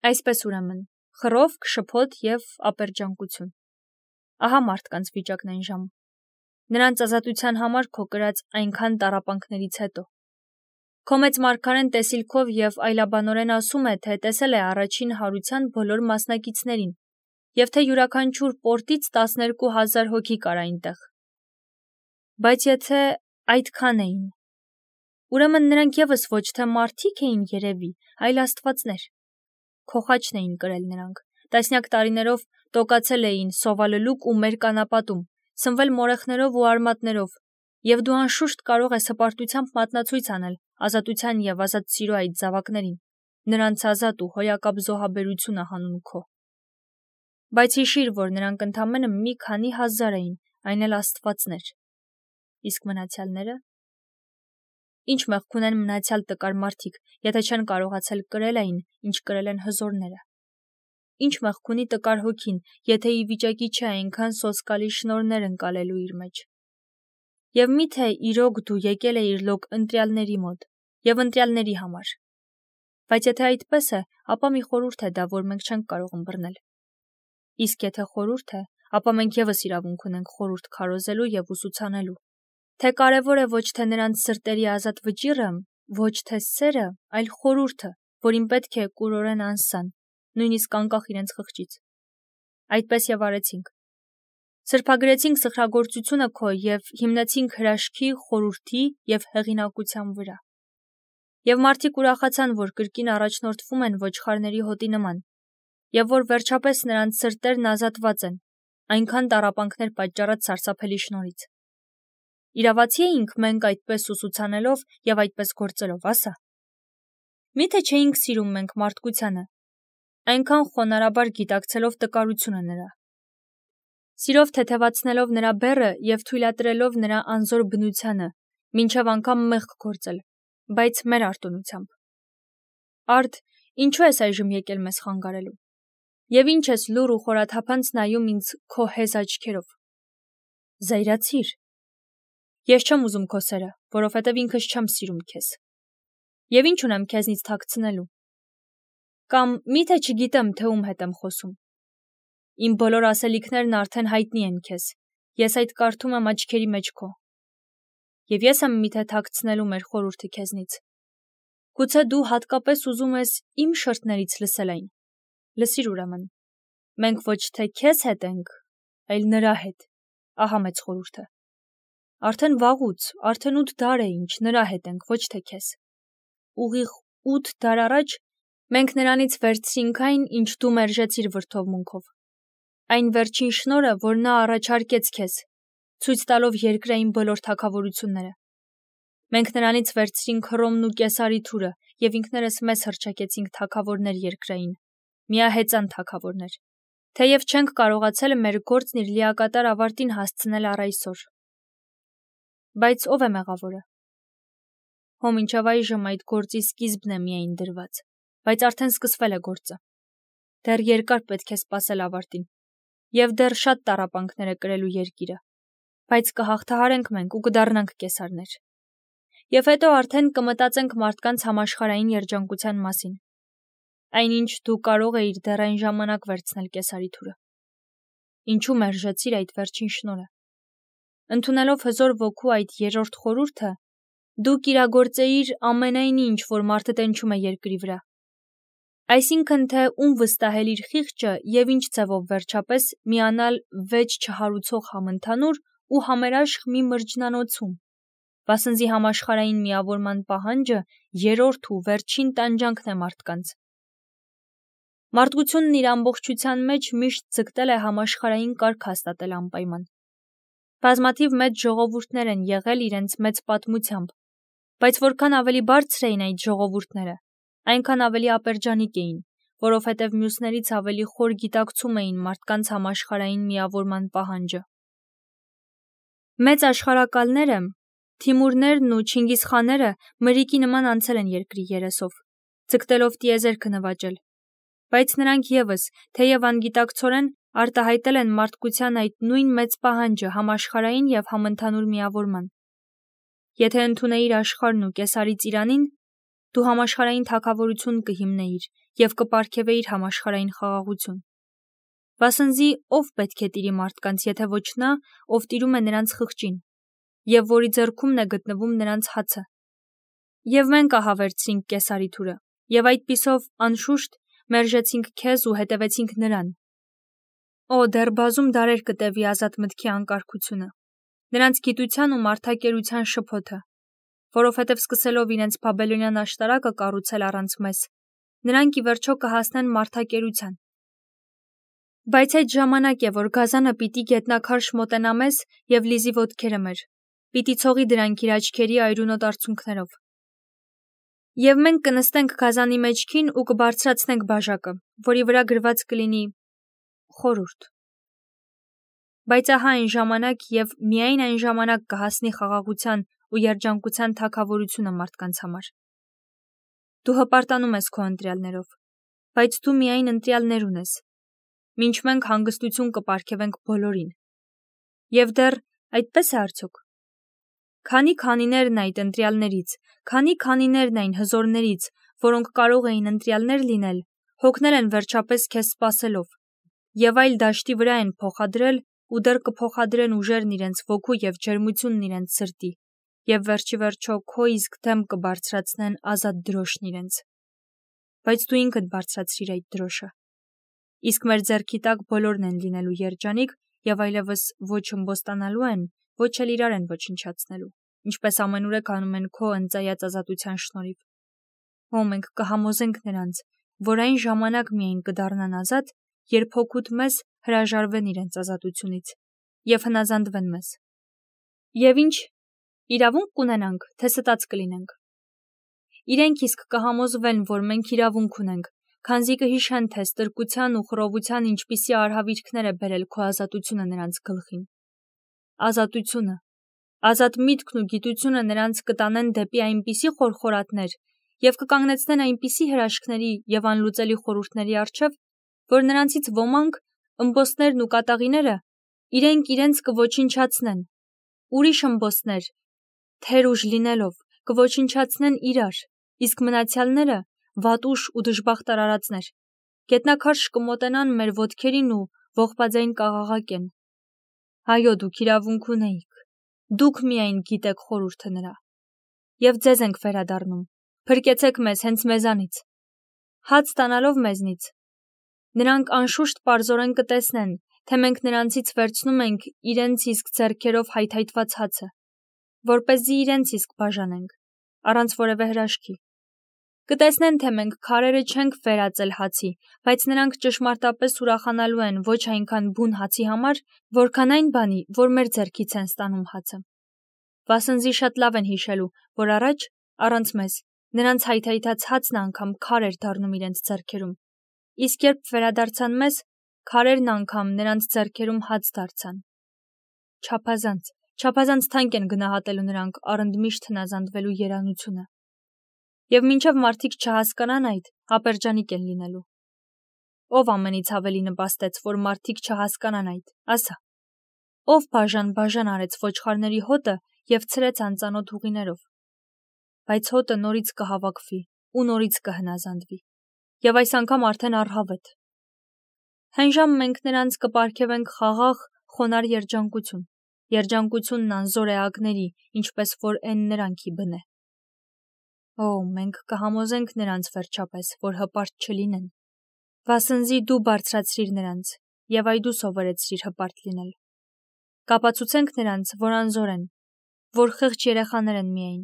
Այսպես ուրեմն, խռովք, շփոթ և ապերջանկություն։ Ահա մարդկանց վիճակն այն ժամը։ Նրանց ազատության համար քո կրած այնքան տառապանքներից հետո։ Քո մեծ մարգարեն տեսիլքով և այլաբանորեն ասում է, թե տեսել է առաջին հարության բոլոր մասնակիցներին, և թե յուրաքանչյուր պորտից 12,000 հոգի կար այնտեղ։ Բայց եթե այդքան էին, ուրեմն նրանք ևս ոչ թե մարդիկ էին երևի, այլ աստվածներ։ Քո խաչն էին կրել նրանք, տասնյակ տարիներով տոկացել էին սովալլուկ ու մեր կանապատում, սնվել մորեխներով ու արմատներով, և դու անշուշտ կարող ես հպարտությամբ մատնացույց անել ազատության և ազատ սիրո այդ զավակներին, նրանց ազատ ու հոյակապ զոհաբերությունը հանուն քո։ Բայց հիշիր, որ նրանք ընդամենը մի քանի հազար էին, այն էլ աստվածներ։ Իսկ մնացյալները։ Ինչ մեղք ունեն մնացյալ տկար մարդիկ, եթե չեն կարողացել կրել այն, ինչ կրել են հզորները։ Ինչ մեղք ունի տկար հոգին, եթե ի վիճակի չէ այնքան սոսկալի շնորհներ ընկալելու իր մեջ։ Եվ միթե իրոք դու եկել էիր լոկ ընտրյալների մոտ և ընտրյալների համար։ Բայց եթե այդպես է, ապա մի խորհուրդ է դա, որ մենք չենք կարող ըմբռնել։ Իսկ եթե խորհուրդ է, ապա մենք ևս իրավունք ունենք խորհուրդ քարոզելու և ուսուցանելու, թե կարևոր է ոչ թե նրանց սրտերի ազատ վճիռը, ոչ թե սերը, այլ խորհուրդը, որին պետք է կուրորեն անսան, նույնիսկ անկախ իրենց խղճից։ Այդպես և արեցինք։ Սրբագրեցինք սխրագործությունը քո և հիմնեցինք հրաշքի, խորհրդի և հեղինակության վրա։ Եվ մարդիկ ուրախացան, որ կրկին առաջնորդվում են ոչխարների հոտի նման, և որ վերջապես նրանց սրտերն ազատված են, այնքան տառապանքներ պատճառած սարսափելի շնորհից։ Իրավացի էինք մենք այդպես ուսուցանելով և այդպես գործելով, ասա։ Միթե չէինք սիրում մենք մարդկությանը, այնքան խոնարհաբար գիտակցելով տկարությունը նրա։ Սիրով թեթևացնելով նրա բեռը և թույլատրելով նրա անզոր բնությանը, մինչև անգամ մեղք գործել, բայց մեր արտոնությամբ։ Արդ, ինչու ես այժմ եկել մեզ խանգարելու։ Եվ ինչ ես լուռ ու խորաթափանց նայում ինձ քո հեզ աչքերով։ Զայրացիր։ Ես չեմ ուզում քո սերը, որովհետև ինքս չեմ սիրում քեզ։ Եվ ինչ ունեմ քեզնից թաքցնելու։ Կամ միթե չգիտեմ, թե ում հետ եմ խոսում։ Իմ բոլոր ասելիքներն արդեն հայտնի են քեզ, ես այդ կարդում եմ աչքերի մեջ քո։ Եվ ես եմ միթե թաքցնելու մեր խորհուրդը քեզնից։ Գուցե դու հատկապես ուզում ես իմ շրթներից լսել այն։ Լսիր ուրեմն։ Մենք ոչ թե քեզ հետ ենք, այլ նրա հետ։ Ահա մեծ խորհուրդը։ Արդեն վաղուց, արդեն 8 դար է ինչ նրա հետ ենք, ոչ թե քեզ։ Ուղիղ 8 դար առաջ մենք նրանից վերցրինք այն, ինչ դու մերժեցիր վրդովմունքով։ Այն վերջին շնորհը, որ նա առաջարկեց քեզ, ցույց տալով երկրային բոլոր թագավորությունները։ Մենք նրանից վերցրինք Հռոմն ու Կեսարի թուրը և ինքներս մեզ հռչակեցինք թագավորներ երկրային, միահեծան թագավորներ, թեև չենք կարողացել մեր գործն իր լիակատար ավարտին հասցնել առ այսօր։ Բայց ով է մեղավորը։ Հո մինչև այժմ այդ գործի սկիզբն է միայն դրված, բայց արդեն սկսվել է գործը։ Դեռ երկար պետք է սպասել ավարտին, և դեռ շատ տառապանքներ է կրելու երկիրը, բայց կհաղթահարենք մենք ու կդառնանք կեսարներ։ Եվ հետո արդեն կմտածենք մարդկանց համաշխարհային երջանկության մասին։ Այնինչ դու կարող էիր դեռ այն ժամանակ վերցնել կեսարի թուրը։ Ինչու մերժեցիր այդ վերջին շնորհը։ Ընդունելով հզոր ոգու այդ երրորդ խորհուրդը, դու կիրագործեիր ամենայն ինչ, որ մարդը տենչում է երկրի վրա։ Այսինքն, թե ում վստահել իր խիղճը և ինչ ձևով վերջապես միանալ վեճ չհարուցող համընդհանուր ու համերաշխ մի մրջնանոցում, վասնզի համաշխարհային միավորման պահանջը երրորդ ու վերջին տանջանքն է մարդկանց։ Մարդկությունն իր ամբողջության մեջ միշտ ձգտել է համաշխարհային կարգ հաստատել անպայման։ Բազմաթիվ մեծ ժողովուրդներ են եղել իրենց մեծ պատմությամբ, բայց որքան ավելի բարձր էին այդ ժողովուրդները, այնքան ավելի ապերջանիկ էին, որովհետև մյուսներից ավելի խոր գիտակցում էին մարդկանց համաշխարհային միավորման պահանջը։ Մեծ աշխարհակալները, Թիմուրներն ու Չինգիզխանները մրրիկի նման անցել են երկրի երեսով, ձգտելով տիեզերքը նվաճել, բայց նրանք ևս, թեև անգիտակցորեն, արտահայտել են մարդկության այդ նույն մեծ պահանջը համաշխարհային և համընդհանուր միավորման։ Եթե ընդունեիր աշխարհն ու կեսարի ծիրանին, Դու համաշխարհային թագավորություն կհիմնեիր եւ կպարգևեիր համաշխարհային խաղաղություն։ Վասնզի ով պետք է տիրի մարդկանց, եթե ոչ նա, ով տիրում է նրանց խղճին, եւ որի ձեռքումն է գտնվում նրանց հացը։ Եվ մենք ահավերցրինք Կեսարի թուրը, եւ այդպիսով անշուշտ մերժեցինք քեզ ու հետևեցինք նրան։ Օ, դեռ բազում դարեր կտևի ազատ մտքի անկարգությունը, նրանց գիտության ու մարդակերության շփոթը, որովհետև սկսելով իրենց բաբելոնյան աշտարակը կառուցել առանց մեզ, նրանք ի վերջո կհասնեն մարդակերության։ Բայց այդ ժամանակ է, որ գազանը պիտի գետնաքարշ մոտենա մեզ եւ լիզի ոտքերը մեր, պիտի ցողի դրանք իր աչքերի այրունոտ արցունքներով։ Եվ մենք կնստենք գազանի մեջքին ու կբարձրացնենք բաժակը, որի վրա գրված կլինի խորհուրդ։ Բայց ահա այն ժամանակ եւ միայն այն ժամանակ կհասնի խաղաղության ու երջանկության թագավորությունը մարդկանց համար։ Դու հպարտանում ես քո ընտրյալներով, բայց դու միայն ընտրյալներ ունես, մինչ մենք հանգստություն կպարգևենք բոլորին։ Եվ դեռ այդպես է արդյոք։ Քանի քանիներն այդ ընտրյալներից, քանի քանիներն այն հզորներից, որոնք կարող էին ընտրյալներ լինել, հոգնել են վերջապես քեզ սպասելով, եւ այլ դաշտի վրա են փոխադրել ու դեռ կփոխադրեն ուժերն իրենց ոգու եւ ջերմությունն իրենց սրտի, եւ վերջի վերջո քո իսկ դեմ կբարձրացնեն ազատ դրոշն իրենց։ Բայց դու ինքդ բարձրացրիր այդ դրոշը։ Իսկ մեր ձեռքի տակ բոլորն են լինելու երջանիկ եւ այլևս ոչ ըմբոստանալու են, ոչ էլ իրար են ոչնչացնելու, ինչպես ամենուրեք անում են քո ընծայած ազատության շնորհիվ։ Ո մենք կհամոզենք նրանց, որ այն ժամանակ միայն կդառնան ազատ, երբ հոգուտ մեզ հրաժարվեն իրենց ազատությունից եւ հնազանդվեն մեզ։ Եվ ինչ իրավունք կունենանք, թե ստած կլինենք։ Իրենք իսկ կհամոզվեն, որ մենք իրավունք ունենք, քանզի կհիշեն, թե ստրկության ու խռովության ինչպիսի արհավիրքներ է բերել քո ազատությունը նրանց գլխին։ Ազատությունը, ազատ միտքն ու գիտությունը նրանց կտանեն դեպի այնպիսի խորխորատներ եւ կկանգնեցնեն այնպիսի հրաշքների եւ անլուծելի խորհուրդների առջեւ, որ նրանցից ոմանք, ըմբոստներն ու կատաղիները, իրենք իրենց կոչնչացնեն, ուրիշ ըմբոստներ, թեր ուժ լինելով, կոչնչացնեն իրար, իսկ մնացյալները վատուշ ու դժբախտ արարածներ, գետնաքարշ կմոտենան մեր ոտքերին ու ողբաձայն կաղաղակեն։ Այո, դուք իրավունք ունեիք, դուք միայն գիտեք խորհուրդը նրա։ Եվ ձեզ ենք վերադառնում, փրկեցեք մեզ հենց մեզանից, հաց ստանալով մեզնից։ Նրանք անշուշտ պարզորեն կտեսնեն, թե մենք նրանցից վերցնում ենք իրենց իսկ ձեռքերով հայթայթված հացը, որպեսզի իրենց իսկ բաժանենք, առանց որևէ հրաշքի։ Կտեսնեն, թե մենք քարերը չենք վերածել հացի, բայց նրանք ճշմարտապես ուրախանալու են ոչ այնքան բուն հացի համար, որքան այն բանի, որ մեր ձեռքից են ստանում հացը։ Վասնզի շատ լավ են հիշելու, որ առաջ, առանց մեզ, նրանց հայթայթած հացն անգամ քար էր դառնում իրենց ձեռքերում, իսկ երբ վերադարձան մեզ, քարերն անգամ նրանց ձեռքերում հաց դարձան։ Չափազանց թանկ են գնահատելու նրանք առընդմիշտ հնազանդվելու երանությունը։ Եվ մինչև մարդիկ չհասկանան այդ, ապերջանիկ են լինելու։ Ով ամենից ավելի նպաստեց, որ մարդիկ չհասկանան այդ, ասա։ Ով բաժան արեց ոչխարների հոտը եւ ցրեց անծանոթ ուղիներով։ Բայց հոտը նորից կհավաքվի ու նորից կհնազանդվի։ Եվ այս անգամ արդեն առհավետ։ Հենժամ մենք նրանց կպարգևենք խաղաղ, խոնար երջանկությունն անզոր էակների, ինչպես որ են նրանքի բնե։ Օ, մենք կհամոզենք նրանց վերջապես, որ հպարտ չլինեն, վասնզի դու բարձրացրիր նրանց, եւ այ դու սովորեցրիր հպարտ լինել։ Կապացուցենք նրանց, որ անզոր են, որ խեղճ երեխաներ են միայն,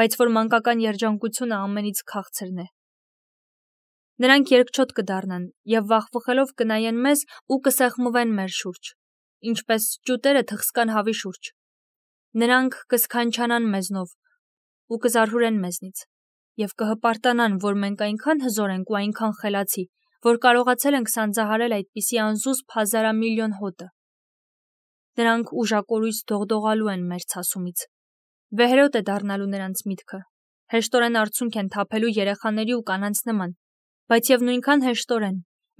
բայց որ մանկական երջանկությունը ամենից քաղցրն է։ Նրանք երկչոտ կդառնան եւ վախվխելով կնայեն մեզ ու կսեղմվեն մեր շուրջ, ինչպես ճուտերը թխսկան հավի շուրջ։ Նրանք կսքանչանան մեզնով ու կզարհուրեն մեզնից եւ կհպարտանան, որ մենք այնքան հզոր ենք ու այնքան խելացի, որ կարողացել ենք սանձահարել այդպիսի անզուսպ հազարամիլիոն հոտը։ Նրանք ուժակորույս դողդողալու են մեր ցասումից։ Վեհերոտ է դառնալու նրանց միտքը, հեշտորեն արցունք են թափելու երեխաների ու կանանց նման, բայց եւ նույնքան հեշտորեն,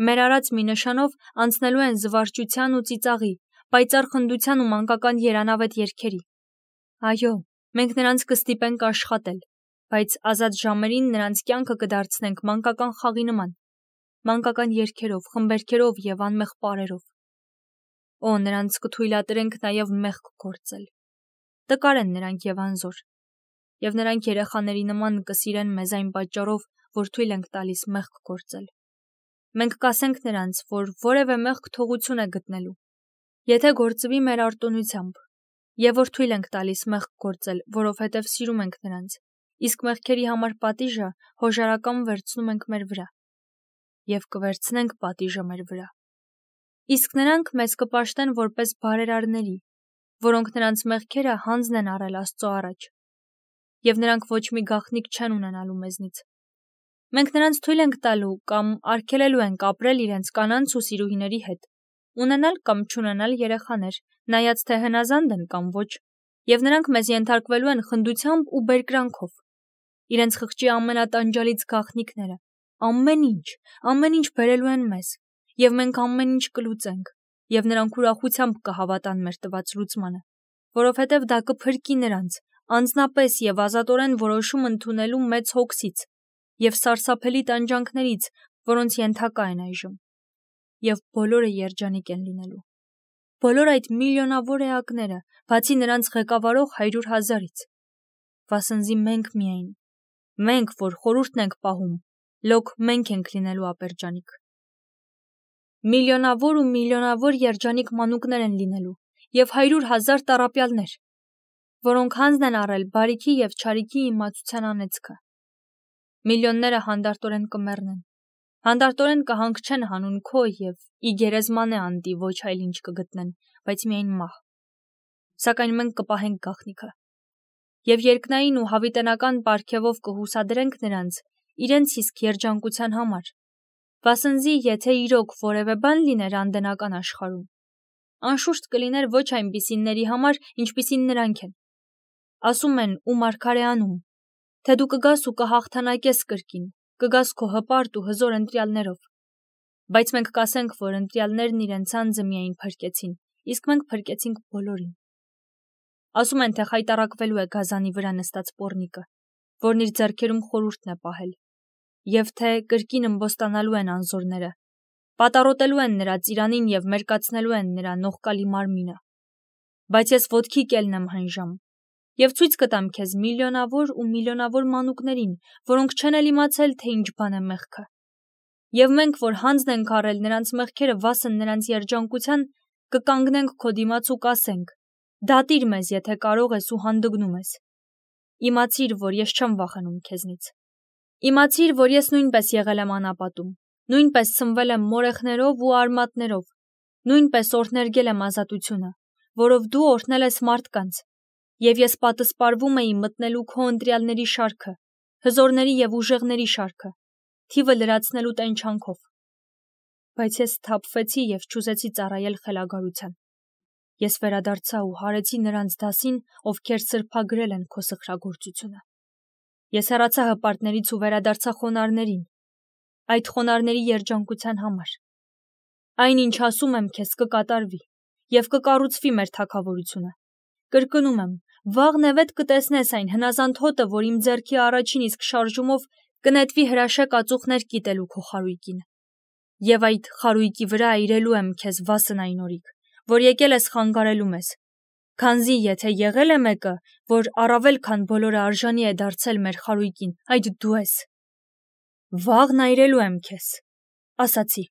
մեր արած մի նշանով անցնելու են զվարճության ու ծիծաղի, պայծառ խնդության ու մանկական երանավետ երգերի։ Այո, մենք նրանց կստիպենք աշխատել, բայց ազատ ժամերին նրանց կյանքը կդարձնենք մանկական խաղի նման, մանկական երգերով, խմբերգերով եւ անմեղ պարերով։ Օ, նրանց կթույլատրենք նաեւ մեղք գործել։ Տկար են նրանք եւ անզոր, եւ նրանք երեխաների նման կսիրեն մեզ այն պատճառով, որ թույլ ենք տալիս մեղք գործել։ Մենք կասենք նրանց, որ որևէ մեղք թողություն է գտնելու, եթե գործվի մեր արտոնությամբ, եւ որ թույլ ենք տալիս մեղք գործել, որովհետեւ սիրում ենք նրանց, իսկ մեղքերի համար պատիժը հոժարական վերցնում ենք մեր վրա, եւ կվերցնենք պատիժը մեր վրա։ Իսկ նրանք մեզ կպաշտեն որպես բարերարների, որոնք նրանց մեղքերը հանձն են առել Աստծո առաջ, եւ նրանք ոչ մի գաղտնիք չեն ունենալու մեզնից։ Մենք նրանց թույլ ենք տալու կամ արգելելու ենք ապրել իրենց կանանց ու սիրուհիների հետ, ունենալ կամ չունենալ երեխաներ, նայած թե հնազանդ են կամ ոչ, եւ նրանք մեզ ենթարկվելու են խնդությամբ ու բերկրանքով։ Իրենց խղճի ամենատանջալից գաղտնիքները, ամեն ինչ բերելու են մեզ, եւ մենք ամեն ինչ կլուծենք, եւ նրանք ուրախությամբ կհավատան մեր տված լուծմանը, որովհետեւ դա կփրկի նրանց, անձնապես եւ ազատորեն որոշում ընդունելու մեծ հոգսից եւ սարսափելի տանջանքներից, որոնց ենթակա են այժմ, եւ բոլորը երջանիկ են լինելու։ Բոլոր այդ միլիոնավոր էակները, բացի նրանց ղեկավարող 100,000-ից, վասնզի մենք միայն, մենք, որ խորհուրդն ենք պահում, լոկ մենք ենք լինելու ապերջանիկ։ Միլիոնավոր ու միլիոնավոր երջանիկ մանուկներ են լինելու եւ 100,000 տառապյալներ, որոնք հանձն են առել բարիքի եւ չարիքի իմացության անեծքը։ Միլիոնները հանդարտորեն կմեռնեն, հանդարտորեն կհանգչեն հանուն քո եւ ի գերեզմանե անտի ոչ այլ ինչ կգտնեն, բայց միայն մահ։ Սակայն մենք կպահենք գաղտնիքը եւ երկնային ու հավիտենական պարգևով կհուսադրենք նրանց իրենց իսկ երջանկության համար, վասնզի եթե իրոք որևէ բան լիներ անդենական աշխարհում, անշուշտ կլիներ ոչ այնպիսիների համար, ինչպիսին նրանք են։ Ասում են ու մարգարեանում, թե դու կգաս ու կհաղթանակես կրկին, կգաս քո հպարտ ու հզոր ընտրյալներով, բայց մենք կասենք, որ ընտրյալներն իրենց անձը միայն փրկեցին, իսկ մենք փրկեցինք բոլորին։ Ասում են, թե խայտառակվելու է գազանի վրա նստած պոռնիկը, որն իր ձեռքերում խորհուրդն է պահել, եւ թե կրկին ըմբոստանալու են անզորները, պատառոտելու են նրա ծիրանին եւ մերկացնելու են նրա նողկալի մարմինը։ Բայց ես ոտքի կելն եմ հնժամ, եւ ցույց կտամ քեզ միլիոնավոր ու միլիոնավոր մանուկներին, որոնք չեն էլ իմացել, թե ինչ բան է մեղքը։ Եվ մենք, որ հանձն ենք առել նրանց մեղքերը վասն նրանց երջանկության, կկանգնենք քո դիմաց ու կասենք. դատիր մեզ, եթե կարող ես ու հանդգնում ես։ Իմացիր, որ ես չեմ վախենում քեզնից։ Իմացիր, որ ես նույնպես եղել եմ անապատում, նույնպես սնվել եմ մորեխներով ու արմատներով, նույնպես օրհներգել եմ ազատությունը, որով դու օրհնել ես մարդկանց, եւ ես պատասպարվում էի մտնելու քո ընտրյալների շարքը, հզորների եւ ուժեղների շարքը, թիվը լրացնելու տենչանքով։ Բայց ես թափվեցի եւ չուզեցի ծառայել խելագարության։ Ես վերադարձա ու հարեցի նրանց դասին, ովքեր սրբագրել են քո սխրագործությունը։ Ես հեռացա հպարտներից ու վերադարձա խոնարհներին, այդ խոնարհների երջանկության համար։ Այն ինչ ասում եմ քեզ կկատարվի եւ կկառուցվի մեր թագավորությունը։ Կրկնում եմ, վաղ նևետ կտեսնես այն հնազանդ հոտը, որ իմ ձեռքի առաջին իսկ շարժումով կնետվի հրաշեք ածուխներ կիտելու քո խարույկին։ Եվ այդ խարույկի վրա այրելու եմ քեզ վասն այն օրիկ, որ եկել ես խանգարելու մեզ, քանզի եթե եղել է մեկը, որ առավել քան բոլորը արժանի է դարձել մեր խարույկին, այդ դու ես։ Վաղն այրելու եմ քեզ, ասացի։